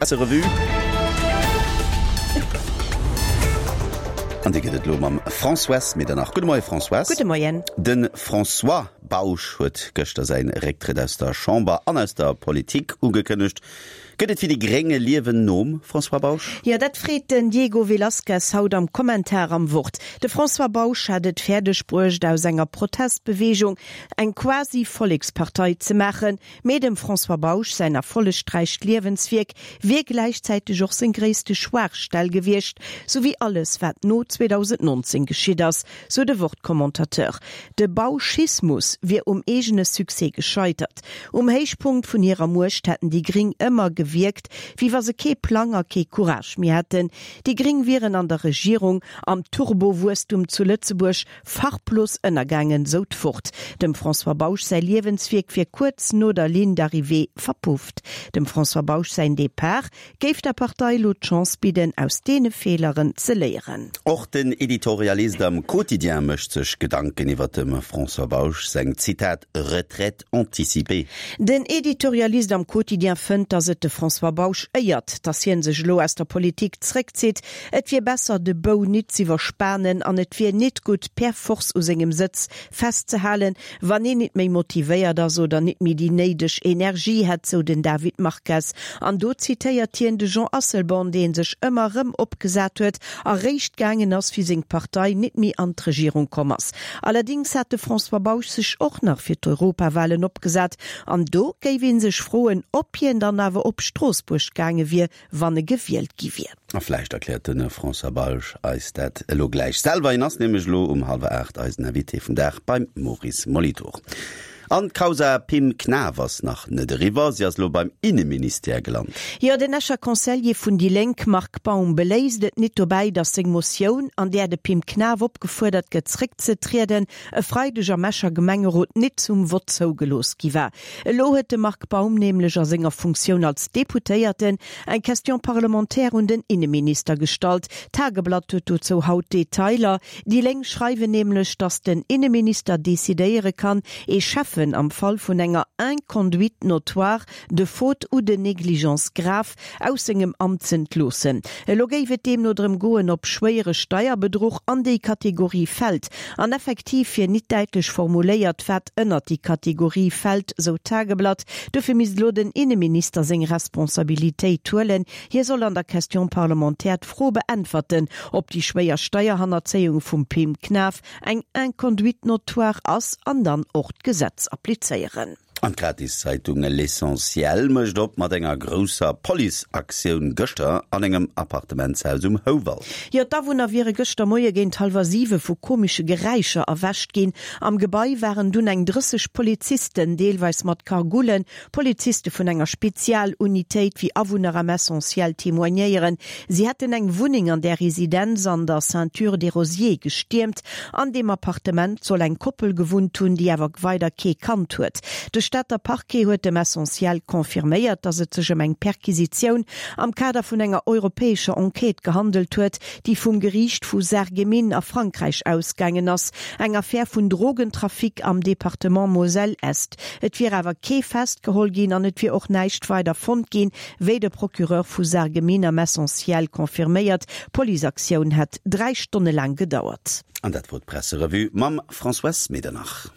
Presserevue. An déi gëtt et elo mam Françoise Medernach. Gudde Moie Françoise. Gudde Moien. De François Bausch huet gëschter säin Récktrëtt aus der Chamber an aus der Politik ugekënnegt. Gëtt et fir déi Gréng e Liewen nom François Bausch? Jo, dat freet den Diego Velazquez haut am Kommentar am Wort. De François Bausch hat et fäerdeg bruecht, aus enger Protestbeweegung eng quasi Vollekspartei ze maachen. Mee dem François Bausch säin erfollegräicht Liewenswierk wier gläichzäiteg och seng gréisste Schwaachstell gewiescht, sou wéi alles wat no 2019 geschitt ass, sou de Wort-Commentateur. De Bauschismus wier um eegene Succès gescheitert. Um Héichpunkt vun hirer Muecht hätten déi Gring ëmmer gewierkt, wéi wa se kee Plang a kee Courage méi hätten. Déi Gring wieren an der Regierung, am Turbo-Wuesstum zu Lëtzebuerg Farblos ënnergaangen, sou d'Wort. Dem François Bausch säi Liewenswierk wier kuerz no der Ligne d'arrivée verpufft. Dem François Bausch säin Depart géif der Partei elo d'Chance bidden, aus deene Feeleren ze léieren. Och den Editorialist am Quotidien mécht sech Gedanken iwwer dem François Bausch seng, Zitat, retraite anticipée. Den Editorialist am Quotidien fënnt, datt et de François Bausch éiert, datt hien sech elo aus der Politik zréckzitt. Et wier besser, de Bou nit z'iwwerspanen an et wier nit gutt, per force u sengem Sëtz festzehalen, wann een nit méi motivéiert ass oder nit méi déi néideg Energie hätt, sou den David Marques. An do zitéiert hien de Jean Asselborn, dee sech ëmmer rëm opgesat huet a réischt gaangen ass, wéi seng Partei nit méi an d'Regierung komm ass. Allerdings hat de François Bausch sech och nach fir d'Europawahlen opgesat an do géif ee sech froen, ob hien dann awer op Stroossbuerg gaange wier, wann e gewielt gi wier. A vläicht erkläert de François Bausch eis dat elo gläich selwer. Hien ass nämlech elo um hallwer 8 eisen Invité vum Dag beim Maurice Molitor. An d'Causa Pim Knaff ass nach net eriwwer, si ass elo beim Inneministère gelant. Jo, den Escher Conseiller vun déi Lénk Marc Baum beléisst et nit dobäi, datt seng Motioun, an där de Pim Knaff opgefuerdert gëtt zréckzetrieden, e Freideg am Escher Gemengerot nit zum Vott zougelooss gi war. Elo huet de Marc Baum nämlech a senger Funktioun als Deputéierten eng Question parlementaire un den Inneminister gestallt. D'Tageblatt huet dozou haut Detailer. Déi Lénk schreiwen nämlech, datt den Inneminister decidéiere kann, ee Schäffen am Fall vun enger Inconduite notoire, de faute ou de négligence grave aus sengem Amt z'entloossen. Elo géif et deemno drëm goen, ob schwéiere Steierbedruch an déi Kategorie fält. An effektiv wier nit däitlech formuléiert, wat ënnert déi Kategorie fält, sou d'Tageblatt. Dofir misst elo den Inneminister seng Responsabilitéit huelen. Hie soll an der Question parlementaire d'Fro beäntwerten, ob déi schwéier Steierhannerzéiung vum Pim Knaff eng Inconduite notoire ass an dann och d'Gesetz applizéieren. An d'Gratiszeitung L'Essentiel mécht op mat enger grousser Policeaktioun gëschter an engem Appartementshaus um Houwald. Jo, d'Awunner wiere gëschter Moie géint hallwer siwe vu komesche Geräischer erwächt ginn. Am Gebai waren dunn eng 30 Polizisten, deelweis mat Cagoulen, Poliziste vun enger Spezialunitéit, wéi Awunner am Essentiel témoignéieren. Si hätten eng Wunneng an där Residenz an der Ceinture des Rosiers gestiermt. An deem Appartement soll eng Koppel gewunnt hunn, déi awer weider kee Kand huet. De Stater Parquet huet dem Essentiel confirméiert, datt et sech ëm eng Perquisitioun am Kader vun enger europäescher Enquête gehandelt huet, déi vum Geriicht vu Sarreguemines a Frankräich ausgaangen ass. Eng Affär vun Drogentrafic am Departement Moselle-Est. Et wier awer kee festgeholl ginn an et wier och näischt weider fonnt ginn, wéi de Procureur vu Sarreguemines am Essentiel confirméiert. D'Policeaktioun hätt 3 Stonne laang gedauert. An dat wor d'Presserevue mam Françoise Medernach.